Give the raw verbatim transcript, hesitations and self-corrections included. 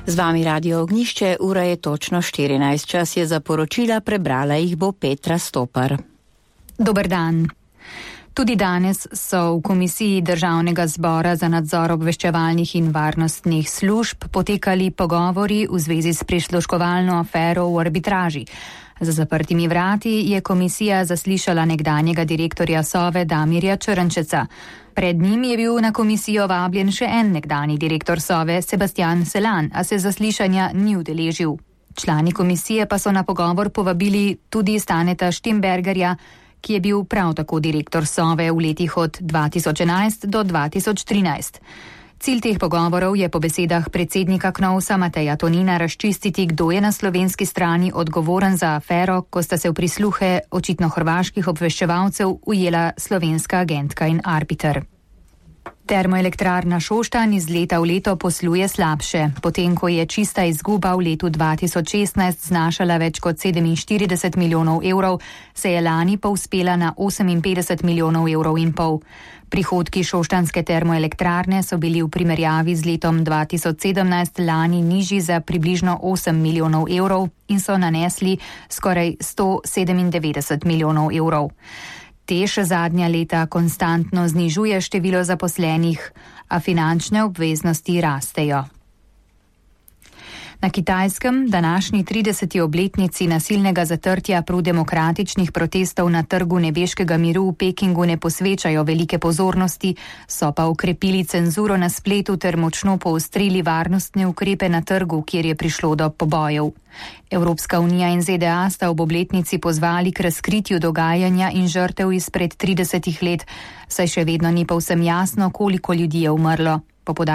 Z vami Radio Ognjišče, ura je točno štirinajst. Čas je za poročila, prebrala jih bo Petra Stopar. Dober dan. Tudi danes so v Komisiji Državnega zbora za nadzor obveščevalnih in varnostnih služb potekali pogovori v zvezi s prisluškovalno afero v arbitraži. Za zaprtimi vrati je komisija zaslišala nekdanjega direktorja Sove Damirja Črnčeca. Pred njim je bil na komisijo vabljen še en nekdanji direktor Sove, Sebastian Selan, a se zaslišanja ni udeležil. Člani komisije pa so na pogovor povabili tudi Staneta Štembergarja, ki je bil prav tako direktor Sove v letih od dva tisoč enajst do dva tisoč trinajst. Cilj teh pogovorov je po besedah predsednika Knovsa Mateja Tonina razčistiti, kdo je na slovenski strani odgovoren za afero, ko sta se v prisluhe očitno hrvaških obveščevalcev ujela slovenska agentka in arbiter. Termoelektrarna Šoštanj iz leta v leto posluje slabše. Potem, ko je čista izguba v letu dva tisoč šestnajst znašala več kot sedeminštirideset milijonov evrov, se je lani povzpela na oseminpetdeset milijonov evrov in pol. Prihodki šoštanjske termoelektrarne so bili v primerjavi z letom dva tisoč sedemnajst lani nižji za približno osem milijonov evrov in so nanesli skoraj sto sedemindevetdeset milijonov evrov. Tež zadnja leta konstantno znižuje število zaposlenih, a finančne obveznosti rastejo. Na Kitajskem današnji trideseti obletnici nasilnega zatrtja prodemokratičnih protestov na trgu nebeškega miru v Pekingu ne posvečajo velike pozornosti, so pa ukrepili cenzuro na spletu ter močno poostrili varnostne ukrepe na trgu, kjer je prišlo do pobojev. Evropska unija in Z D A sta ob obletnici pozvali k razkritju dogajanja in žrtev izpred tridesetih let, saj še vedno ni povsem jasno, koliko ljudi je umrlo. Po